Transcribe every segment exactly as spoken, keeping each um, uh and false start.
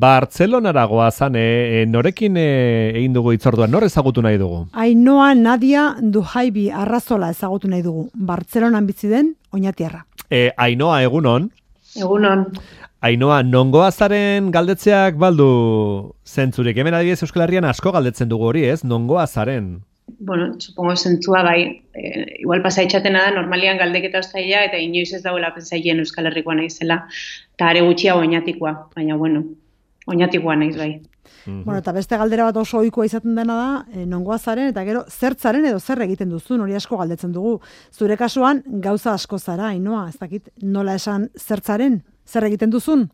Bartzelonara goazan, e, norekin e, egin dugu hitzordua, nor ezagutu nahi dugu? Ainhoa Nadia Duhaibi Arrazola ezagutu nahi dugu, Bartzelonan bizi den oñatiarra. E, Ainhoa, egunon? Egunon. Ainhoa, nongoazaren galdetzeak baldu zentzurik, hemen adibidez Euskal Herrian asko galdetzen dugu hori, ez? Nongoazaren? Bueno, supongo zentzua bai, e, igual pasaitxatena da, normalian galdeketa ostaia, eta inoiz ez dagoela pentsaien Euskal Herrikoa naizela, eta are gutxia oñatikoa, baina bueno, oñatikoa naiz bai. Mm-hmm. Bueno, eta beste galdera bat oso ohikoa izaten dena da, e, nongoazaren, eta gero zertzaren edo zer egiten duzun, hori asko galdetzen dugu. Zure kasuan, gauza asko zara, Ainhoa, ez dakit, nola esan zertzaren, zer egiten duzun?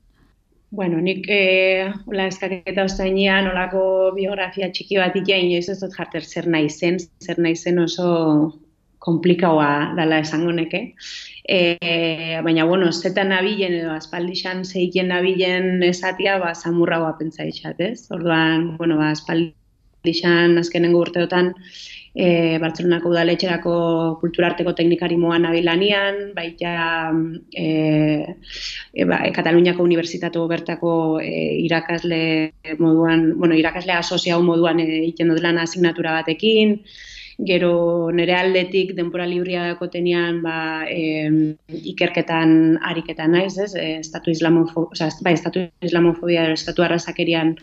Bueno, nik eh, hola eskaketa ostainean olako biografia txiki bat ikia inoiz ez dut jarter zer nahi zen, zer nahi zen oso komplikaua dala esango neke. E, baina, bueno, zetan nabilen edo aspaldixan zeiken nabilen esatia, ba, samurragoa pentsa izat, ez? Orduan, bueno, ba, aspaldixan azkenengo urteotan E, Bartzelonako udaletxerako kulturarteko teknikari moan nabilanian, baita e, e, ba, Kataluniako Unibertsitatu bertako e, irakasle moduan, bueno, irakasle asoziau moduan egiten dut lan asignatura batekin, gero nire aldetik denbora libriako tenean ba, e, ikerketan ariketan naiz, ez? E, estatu islamofobia, o sea, bai, estatu islamofobia, estatu arrazakerian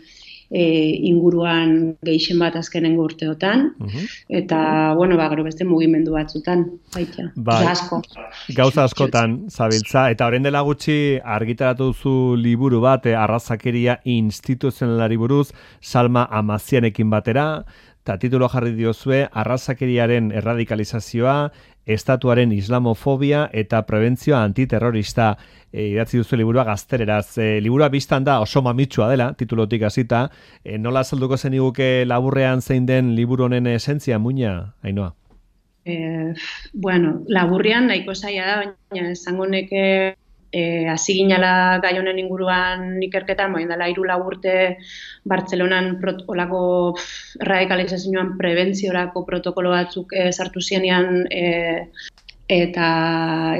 E, inguruan gehien bat azkenengo urteotan, uh-huh. eta, bueno, ba, gero beste mugimendu batzutan, baita, bai, asko. Gauza askotan, zabiltza, eta orain dela gutxi argitaratu duzu liburu bat, arrazakeria instituzionalari buruz, Salma Amazianekin batera, eta titulo jarri diozue, arrazakeriaren erradikalizazioa, estatuaren islamofobia eta prebentzioa antiterrorista. E, idatzi duzu liburua gaztereraz. E, liburua biztan da oso mamitsua dela, titulotik hasita. E, nola azalduko zeniguke laburrean zein den liburu honen esentzia, muina, Ainhoa? Eh, bueno, laburrean nahiko zaila da, baina esango neke e, hasi ginala gai honen inguruan ikerketan, baina dela hiru lau urte Bartzelonan prot, olako radikalizazioan prebentziorako protokolo batzuk e, sartu zienean e, eta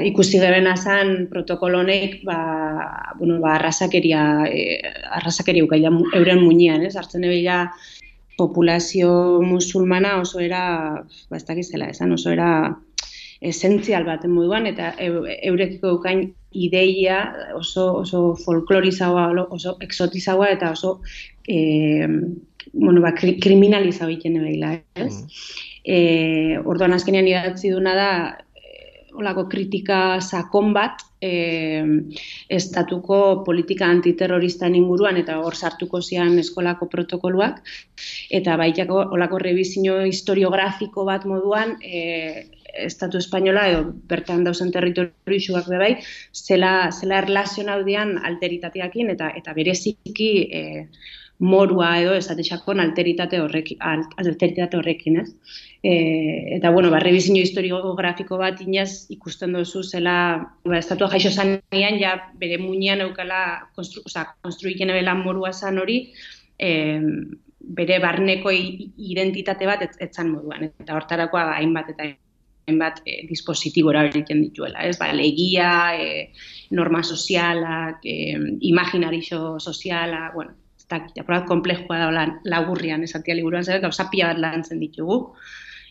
ikusi gebena zen protokolo honek ba, bueno, ba, arrazakeria, e, arrazakeria ukaila euren muinean, ez? Hartzen ebila populazio musulmana oso era, ba, ez dakizela esan, oso era esentzial baten moduan, eta eurekiko eukain ideia oso, oso folklorizagoa, oso exotizagoa, eta oso e, bueno, ba, kriminalizagoa egiten ebila, ez? Mm. E, orduan azkenean idatzi duna da, olako kritika sakon bat e, estatuko politika antiterroristan inguruan eta hor sartuko zian eskolako protokoluak eta baitako olako rebizio historiografiko bat moduan e, estatu espainola edo bertan dauzen territorioak bebai zela, zela erlazionaudean alteritateakin eta, eta bereziki e, morua edo esatexakon alteritate horrekin, alteritate horrekin, ez? E, eta, bueno, ba, rebizio historiografiko bat inaz ikusten duzu zela, ba, estatua jaixo zanean, ja, bere muinean eukala, konstru, oza, konstruiken ebela morua zan hori, e, bere barneko identitate bat etzan moduan. Eta hortarakoa ba, hainbat eta hainbat e, dispositibora egiten dituela, ez? Ba, legia, e, norma sozialak, e, imaginarixo soziala, bueno, eta apurat komplexua da laburrian esatia liburuan, zer, gauza pila bat lantzen ditugu,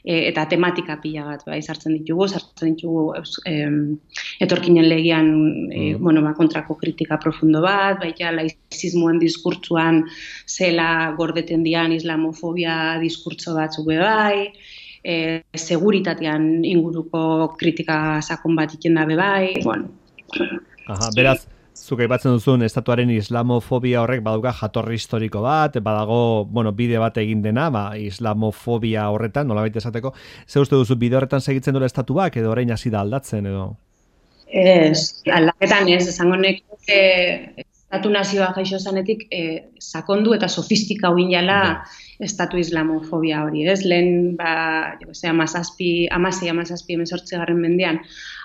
e, eta tematika pila bat bai, sartzen ditugu, sartzen ditugu e, etorkinen legian e, mm. bueno, ba, kontrako kritika profundo bat, baita laizismoen diskurtzuan zela gordeten dian islamofobia diskurtso batzuk bai, e, seguritatean inguruko kritika sakon bat iten da bai, bueno. Aha, beraz, zuk aipatzen duzun estatuaren islamofobia horrek badauka jatorri historiko bat, badago, bueno, bide bat egin dena, ba, islamofobia horretan, nolabait esateko. Ze uste duzu bide horretan segitzen duela estatuak edo orain hasi da aldatzen edo? Ez, aldaketan ez, esango nek e, estatu nazioa jaixo zanetik e, sakondu eta sofistika huin jala estatu islamofobia hori, ez? Lehen, ba, jo, ze, amazazpi, amazei, amazazpi, emezortzi garren mendean,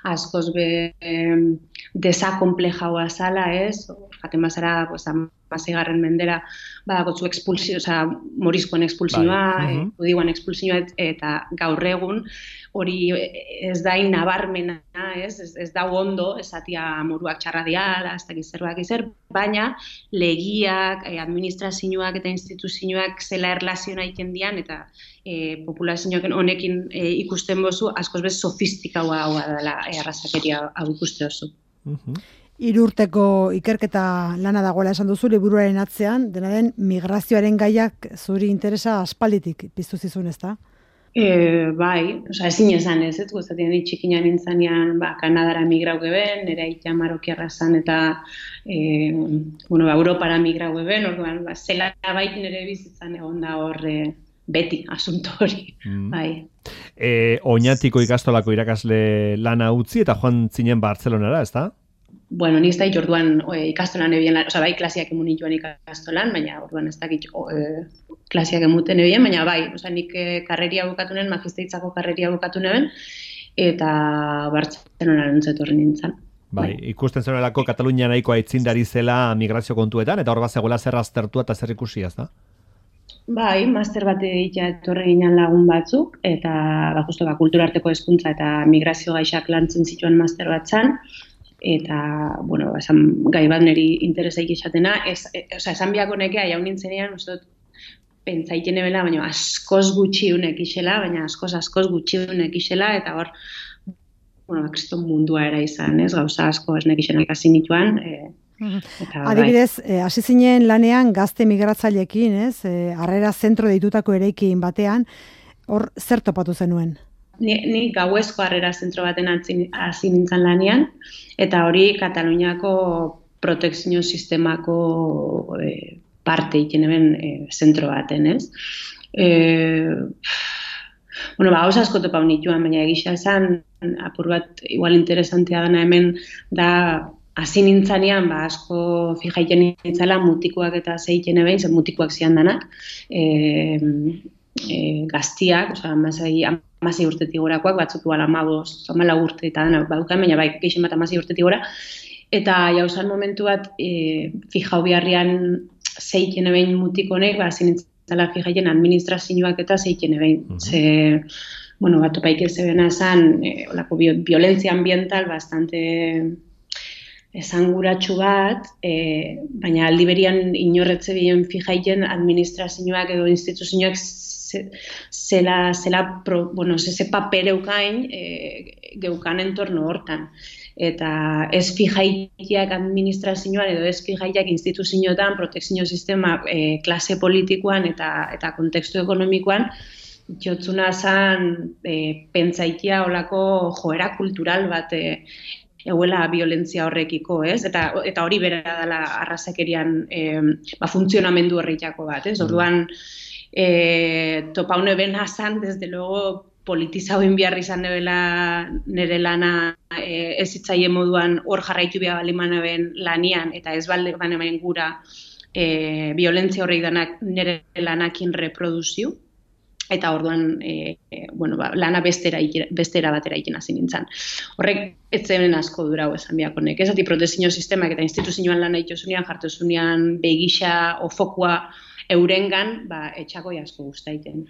askoz be eh, desakomplejaua zala, ez? Jaten bazara, pues, hamaseigarren mendera badakotzu expulsio, osea, morizkoen expulsioa, bai. uh-huh. judioen expulsioa eta gaur egun hori ez da nabarmena, ez, ez, ez da ondo, esatia moruak txarra diala, ez dakiz zerbak izer, baina legiak, eh, administrazioak eta instituzioak zela erlaziona egiten dian, eta eh, populazioak honekin eh, ikusten bozu, askoz bez sofistikaua hau dela eh, arrazakeria hau ikuste oso. Uh-huh. Hiru urteko ikerketa lana dagoela esan duzu liburuaren atzean, dena den migrazioaren gaiak zuri interesa aspalditik piztu zizun, ezta? E, bai, oza, ezin esan ez, ez guztatien txikinan nintzanean, ba, Kanadara migrau geben, nire aitea marokiarra zan, eta e, bueno, ba, Europara migrau geben, orduan, ba, zela bait nire bizitzan egon da hor e, beti asunto hori, mm. bai. E, Oñatiko ikastolako irakasle lana utzi eta joan zinen Bartzelonara, ez da? Bueno, ni ez da orduan e, ikastolan ebien, oza, bai, klasiak emun nituen ikastolan, baina orduan ez dakit e, klasiak emuten ebien, baina bai, oza, nik e, karreria bukatu nuen, magisteitzako karreria bukatu nuen, eta Bartzelonaren zetorri nintzen. Bai, ikusten zenolako Katalunia nahiko aitzindari zela migrazio kontuetan, eta hor bat zegoela zer aztertua eta zer ikusi, ez da? Bai, master bat egitea etorri ginen lagun batzuk, eta ba, justo, ba, kulturarteko hezkuntza eta migrazio gaixak lantzen zituen master bat zan, eta, bueno, esan gai bat niri interesaik esatena, ez, e, oza, esan biako nekea, jaun nintzenean, uste dut, pentsaiten ebela, baina askoz gutxiunek isela, baina askoz, askoz gutxiunek isela, eta hor, bueno, kriston mundua era izan, ez, gauza asko esnek isenak hasi nituan, e, eta, adibidez, hasi bai. Zinen lanean gazte migratzaileekin, ez, e, harrera zentro deitutako eraikin batean, hor zer topatu zenuen? Ni, ni gauezko harrera zentro baten hasi nintzen lanean, eta hori Kataluniako protekzio sistemako e, parte egiten eben e, zentro baten, ez? E, bueno, ba, hausa asko topau nituen, baina egisa esan, apur bat igual interesantea dana hemen, da hasi nintzanean, ba, asko fijaiten nintzala mutikoak eta zeiten eben, zen mutikoak zian danak, e, e, gaztiak, oza, amasei, amasei urtetik gorakoak, batzuk igual amaboz, amala urte eta dana badukan, baina bai, geixen bat amasei urtetik gora, eta jauzan momentu bat, e, fijau biharrian zeiten ebein mutikonek, ba, zinintzala fijaiten administrazioak eta zeiten ebein. Uh-huh. Ze, bueno, bat topaik ez ebena esan, e, olako violentzia ambiental bastante esanguratsu bat, e, baina aldi berian inorretze bien fijaiten administrazioak edo instituzioak zela, zela pro, bueno, ze paper eukain e, geukan entorno hortan. Eta ez fijaitiak administrazioan edo ez fijaitiak instituzioetan, protekzio sistema, e, klase politikoan eta, eta kontekstu ekonomikoan, jotzuna zan e, pentsaitia olako joera kultural bat e, euela violentzia horrekiko, ez? Eta, eta hori bera dela arrazakerian e, ba, funtzionamendu horretako bat, ez? Orduan, e, topaune ben hazan, desde luego, politizauen behar izan dela nire lana e, ez hitzaie moduan hor jarraitu behar baliman ben lanian, eta ez balde banemen gura e, violentzia horrek danak nire lanakin reproduzio, eta orduan e, e, bueno, ba, lana bestera, bestera batera ikin hasi nintzen. Horrek ez zen asko durau esan biakonek. Ez ati protezio sistemak eta instituzioan lana itozunean, jartozunean begisa o fokua eurengan, ba, etxako asko guztaiten.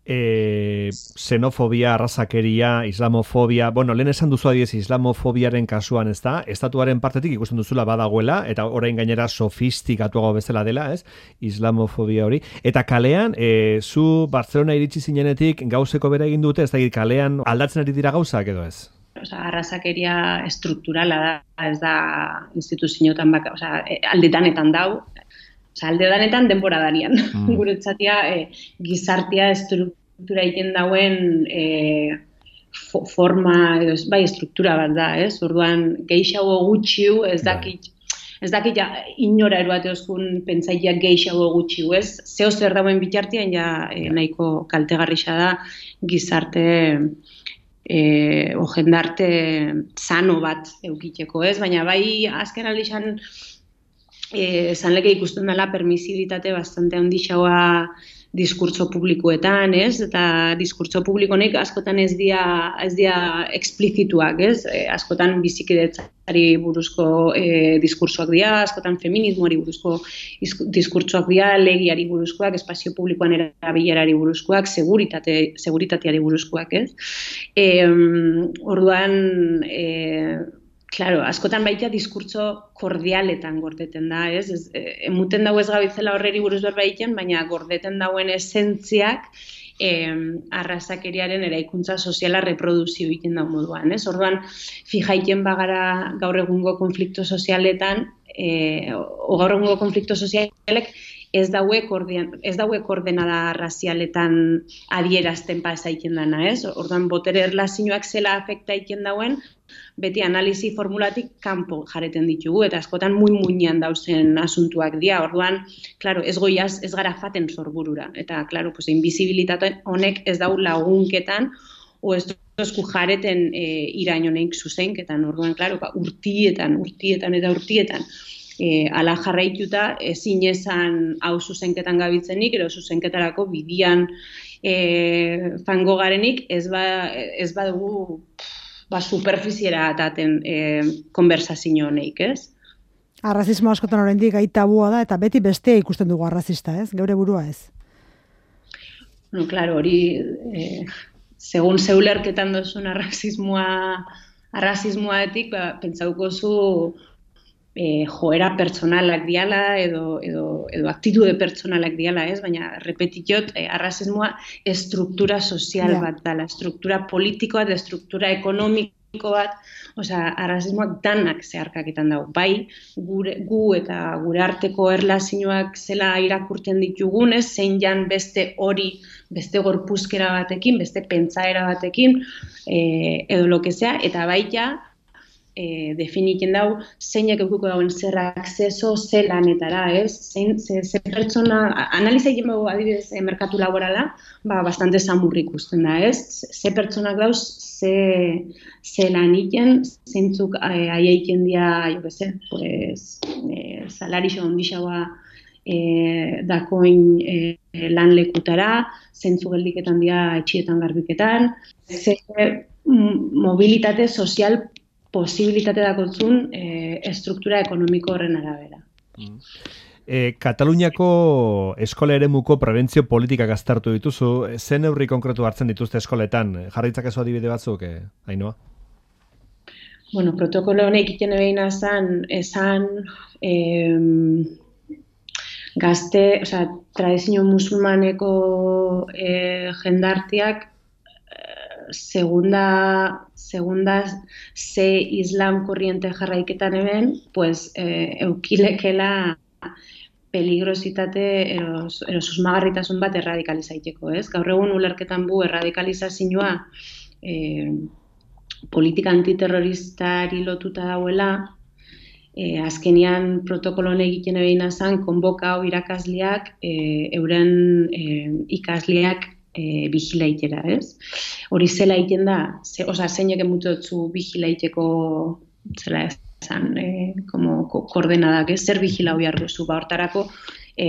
E, xenofobia, arrazakeria, islamofobia, bueno, lehen esan duzu adiez islamofobiaren kasuan, ez da, estatuaren partetik ikusten duzula badagoela, eta orain gainera sofistikatuago bezala dela, ez, islamofobia hori, eta kalean, e, zu Bartzelona iritsi zinenetik gauzeko bera egin dute, ez da, kalean aldatzen ari dira gauzak edo ez? Osa, arrazakeria estrukturala da, ez da instituzioetan baka, osa, aldedanetan dau, osa, aldedanetan denbora darian. Mm. Guretzatia, e, gizartia estruktura egiten dauen e, fo, forma, edo, bai, estruktura bat da, ez? Orduan, geixago gutxiu, ez dakit, ez dakit ja, inora eruate oskun pentsaiak geixago gutxiu, ez? Zeo zer dauen bitartian, ja, e, nahiko kaltegarrixa da gizarte e, o jendarte sano bat eukiteko, ez? Baina bai, azken alixan, esan leke ikusten dela permisibilitate bastante handixagoa diskurtso publikoetan, ez? Eta diskurtso publikonek askotan ez dira ez dira explizituak, ez? E, askotan bizikidetzari buruzko e, diskursoak dira, askotan feminismoari buruzko diskurtsoak dira, legiari buruzkoak, espazio publikoan erabilerari buruzkoak, seguritate seguritateari buruzkoak, ez? E, orduan e, Claro, askotan baita diskurtso kordialetan gordeten da, ez? ez emuten dago ez gabitzela horreri buruz berba egiten, baina gordeten dauen esentziak eh, arrazakeriaren eraikuntza soziala reproduzio egiten da moduan, ez? Orduan, fijaiten bagara gaur egungo konflikto sozialetan, eh, o gaur egungo konflikto sozialek ez dauek ez dauek ordenada razialetan adierazten pasa egiten dana, ez? Orduan, botere erlazioak zela afekta egiten dauen, beti analizi formulatik kanpo jareten ditugu, eta askotan muy-muinean dauzen asuntuak dira. Orduan, claro, ez goiaz, ez gara faten sorburura. Eta, claro, pues, invisibilitate honek ez dau lagunketan, o ez duzku jareten e, irain honek zuzenketan. Orduan, claro, ba, urtietan, urtietan eta urtietan, e, ala jarraituta, ezin esan hau zuzenketan gabitzenik, ero zuzenketarako bidian e, fango garenik, ez ba, ez badugu ba, superfiziera ataten e, konversazio honeik, ez? Arrazismo askotan oraindik gai tabua da, eta beti bestea ikusten dugu arrazista, ez? Geure burua ez? No, claro, hori, eh, segun zeulerketan dozun arrazismoa, arrazismoatik, ba, pentsauko zu eh, joera pertsonalak diala, edo, edo, edo aktitude pertsonalak diala, ez? Baina, repetitot, eh, arrazismoa estruktura sozial yeah. bat dala, estruktura politikoa, de estruktura ekonomiko bat, osea, arrazismoak danak zeharkaketan dago. Bai, gure, gu eta gure arteko erlazioak zela irakurten ditugunez, zein jan beste hori, beste gorpuzkera batekin, beste pentsaera batekin, eh, edo lo que sea, eta baita, E, definitzen dau, zeinek eukuko dauen zer akzeso, ze lanetara, ez? Zein, ze, ze pertsona, analiza egin dugu adibidez e, merkatu laborala, ba, bastante samurrik ikusten da, ez? Ze pertsonak dauz, ze, ze lan egiten, zeintzuk aieiken dia, jo beze, pues, e, salarixo ondixaua e, dakoin e, lan lekutara, zeintzuk geldiketan dia etxietan garbiketan, ze mobilitate sozial posibilitate dakotzun e, estruktura ekonomiko horren arabera. Mm. E, Kataluniako eskola eremuko prebentzio politikak aztertu dituzu, zen neurri konkretu hartzen dituzte eskoletan? Jarritzak ezo adibide batzuk, eh, Ainhoa? Bueno, protokolo honek egiten ebeina zan, esan eh, gazte, osea, tradizio musulmaneko eh, jendartiak segunda, segunda ze islam korriente jarraiketan eben, pues, eh, eukilekela peligrositate eros, ero susmagarritasun bat erradikalizaiteko, ez? Gaur egun ulerketan bu erradikalizazioa eh, politika antiterroristari lotuta dauela, eh, azkenian protokoloan egiten egin zan, konbokau irakasleak, eh, euren eh, ikasleak E, bigilaitera, ez? Hori zela egiten da, ze, oza, zeinek emutotzu bigilaiteko, zela esan, e, como koordenadak, ez? Zer bigilau behar duzu, ba, hortarako, e,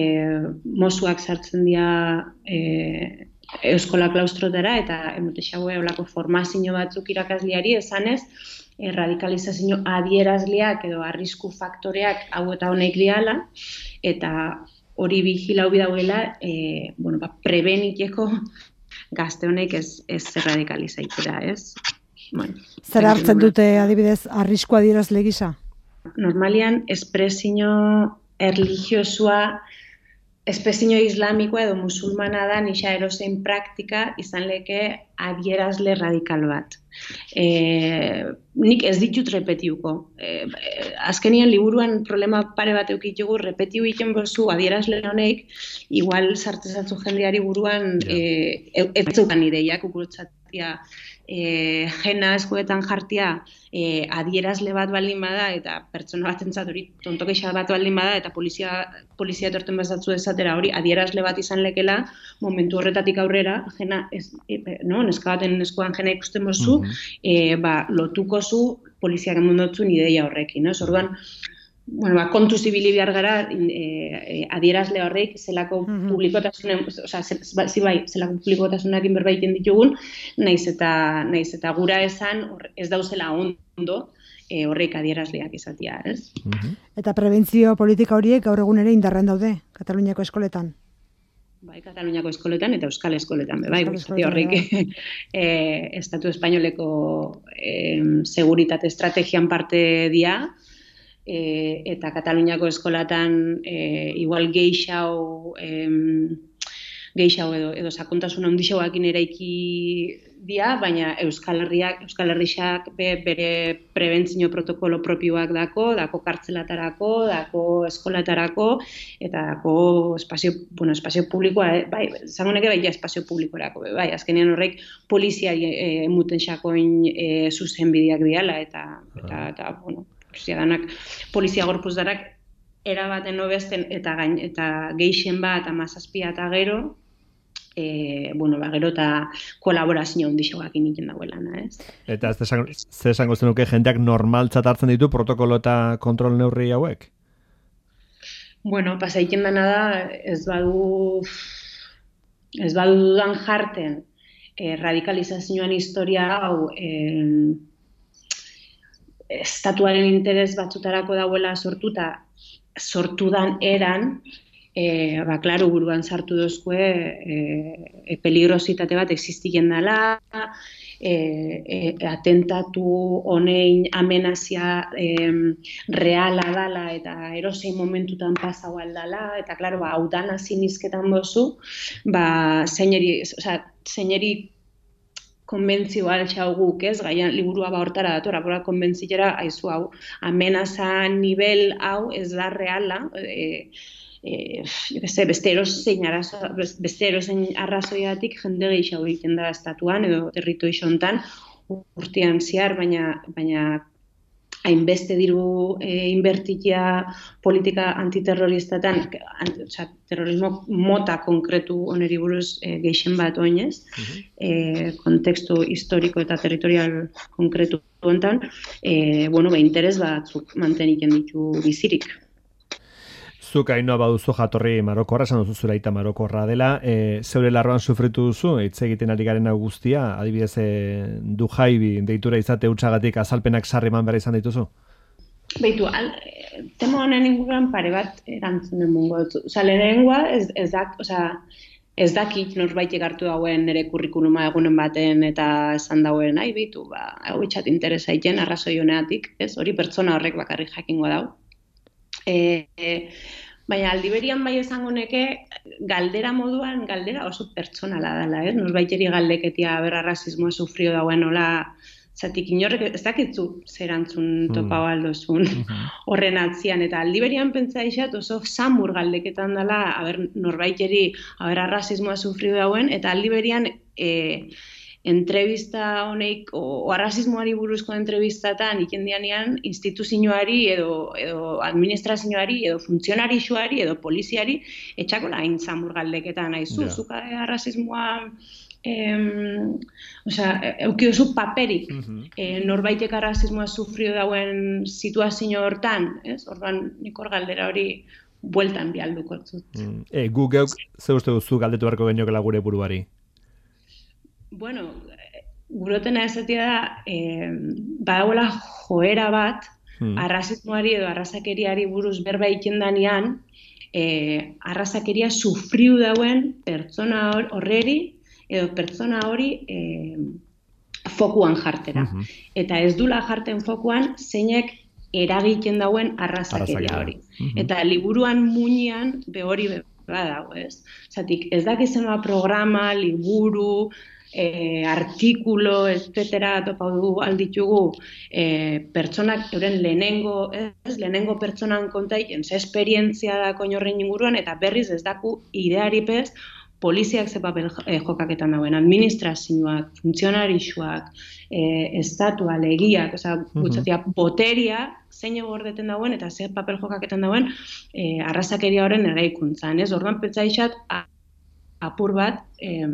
mozuak sartzen dira e, euskola klaustrotara, eta emute xaue olako formazio batzuk irakasliari esanez, e, radikalizazio adierazleak edo arrisku faktoreak hau eta honek diala, eta hori bigilau bidauela, e, bueno, ba, prebeniteko gazte honek ez, ez radikalizaitera, ez? Bueno, zer hartzen dute adibidez arrisku adierazle gisa? Normalian, espresio erligiosua, espresio islamikoa edo musulmana da nisa erosein praktika izan leke adierazle radikal bat. E, nik ez ditut repetiuko. E, azkenian liburuan problema pare bat eukitugu, repetiu egiten bozu adierazle honek, igual sartzezatzu jendeari buruan e, ez zeukan ideiak ukurutzatia e, jena eskuetan jartia e, adierazle bat baldin bada eta pertsona bat entzat hori tontokeixa bat baldin bada eta polizia, polizia etorten bazatzu esatera hori adierazle bat izan lekela momentu horretatik aurrera jena, ez, e, no, neska baten eskuan jena ikusten bozu, mm-hmm. e, ba, lotuko zu poliziak emondotzun ideia horrekin, no? Orduan, bueno, ba, kontu zibili behar gara e, adierazle horreik zelako mm-hmm. publikotasunen, osea, ze, bai, zelako publikotasunekin berbaiten ditugun, naiz eta naiz eta gura esan or, ez dauzela ondo e, horreik adierazleak izatea, ez? Mm-hmm. Eta prebentzio politika horiek gaur egun ere indarren daude, Kataluniako eskoletan. Bai, Kataluniako eskoletan eta Euskal eskoletan, bai, guzti horreik e, Estatu Espainoleko e, seguritate estrategian parte dia, e, eta Kataluniako eskolatan e, igual geixau, e, geixau edo, edo sakontasun handixauakin eraiki dia, baina Euskal Herriak, Euskal Herriak be, bere prebentzio protokolo propioak dako, dako kartzelatarako, dako eskolatarako, eta dako espazio, bueno, espazio publikoa, eh? bai, zangoneke bai, ja espazio publikorako, bai, azkenean horrek poliziari e, emuten xakoin e, zuzenbideak diala, eta, eta, eta, bueno, polizia danak, polizia gorpuz darak, erabaten obesten, eta gain, eta geixen bat, amazazpia eta gero, E, bueno, ba, gero eta kolaborazio handixoak iniken dagoelana, ez? Eta ez ze esango zenuke jendeak normaltzat hartzen ditu protokolo eta kontrol neurri hauek? Bueno, pasaiken dana da, ez badu ez badu dudan jarten e, radikalizazioan historia hau e, estatuaren interes batzutarako dauela sortuta, sortudan eran, E, ba, klaro, buruan sartu dozkue e, e, peligrositate bat existiken dela, e, e, atentatu honein amenazia e, reala dala eta erosein momentutan pasau aldala, eta klaro, ba, hau dana zinizketan bozu, ba, zeineri, oza, zeineri konbentzio altxau guk, ez, gaian liburua ba hortara datora, bora konbentziera, haizu hau, amenaza nivel hau ez da reala, e, E, beste erozein arrazoiatik jende gehiago egiten da estatuan edo territori xontan urtean zehar, baina, baina hainbeste diru e, inbertitia politika antiterroristatan, anti, oza, terrorismo mota konkretu oneri buruz e, geixen bat oinez, uh-huh. e, kontekstu historiko eta territorial konkretu hontan, e, bueno, ba, interes batzuk manteniken ditu bizirik. Zuk hainoa baduzu jatorri marokorra, esan duzu zura aita marokorra dela, e, zeure larroan sufritu duzu, hitz egiten ari garen guztia, adibidez e, du jaibi deitura izate hutsagatik azalpenak sarri eman behar izan dituzu? Beitu, al, tema honen inguruan pare bat erantzunen mungo dut. Osa, lehenengoa ez, ez dak, osa, ez dakit norbaitek hartu dauen nire kurrikuluma egunen baten eta esan dauen, ai, beitu, ba, hau itxat interesa iten, arrazoi honeatik, ez, hori pertsona horrek bakarrik jakingo dau. E, e, baina aldiberian bai esango neke galdera moduan, galdera oso pertsonala dela, ez? Norbaiteri galdeketia berra rasismoa sufrio dauen hola, zatik inorrek ez dakitzu zerantzun topau aldozun horren atzian, eta aldiberian pentsa isat oso samur galdeketan dela, aber norbaiteri aber rasismoa sufrio dauen, eta aldiberian e, entrevista honeik, o, o arrasismoari buruzko entrevistatan ikendianean instituzioari edo, edo administrazioari edo funtzionarixuari edo poliziari etxako hain zamur galdeketan nahizu, yeah. Zuka arrasismoa em, osea, eukiozu paperik uh-huh. e, norbaitek arrasismoa sufrio dauen situazio hortan, ez? Orduan nik hor galdera hori bueltan bialduko zut. Mm. E, gu geuk ze uste duzu galdetu beharko geniokela gure buruari? Bueno, gurotena esatia da, eh, badagoela joera bat, hmm. arrasismoari edo arrazakeriari buruz berba ikendanean, eh, arrazakeria sufriu dauen pertsona horreri edo pertsona hori eh, fokuan jartera. Uh-huh. Eta ez dula jarten fokuan, zeinek eragiten dauen arrazakeria hori. Uh-huh. Eta liburuan muinean be hori badago, ez? Zatik, ez dakizena programa, liburu, E, artikulo, etcétera, topau du alditugu e, pertsonak euren lehenengo, ez, lehenengo pertsonan kontaiken, ze esperientzia da koinorren inguruan, eta berriz ez daku idearipez poliziak ze papel e, jokaketan dauen, administrazioak, funtzionarixuak, e, estatua, legiak, oza, gutxatia, boteria, zein egordeten dauen, eta ze papel jokaketan dauen e, arrazakeria horren eraikuntzan, ez? Orduan pentsa isat, apur bat, e,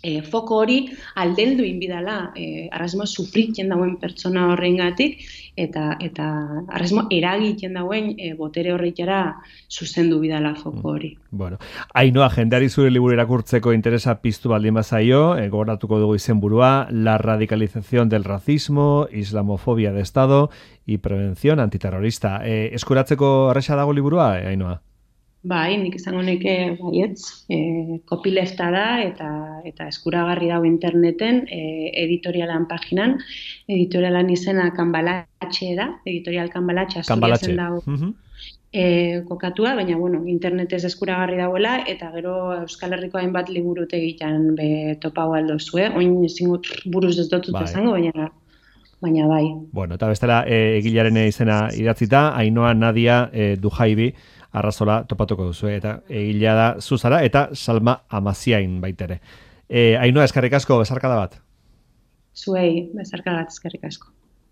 E, foko hori aldendu inbidala, e, arrasmo sufritzen dauen pertsona horrengatik eta eta arrasmo eragiten dauen e, botere horretara zuzendu bidala foko hori. Mm. Bueno, Ainhoa, jendeari zure liburu irakurtzeko interesa piztu baldin bazaio, e, gogoratuko dugu izenburua, La radicalización del racismo, islamofobia de Estado y prevención antiterrorista. E, eskuratzeko erresa dago liburua, e, Ainhoa? Bai, nik izango neke baietz, e, copylefta da eta eta eskuragarri dago interneten, e, editorialan paginan, editorialan izena Kanbalatxe da, editorial Kanbalatxe, Asturiasen dago uh-huh. e, kokatua, baina bueno, internetez eskuragarri dagoela eta gero Euskal Herriko hainbat liburutegitan be topau aldozue, oin ezingo buruz ez dut bai. Zango, baina baina bai. Bueno, eta bestela e, egilaren izena idatzita, Ainhoa Nadia e, Dujaibi arrazola topatuko duzu, eta egilea da zuzara, eta Salma Amaziain baitere. E, Ainhoa, eskerrik asko, bezarkada bat. Zuei, bezarkada bat, eskerrik asko.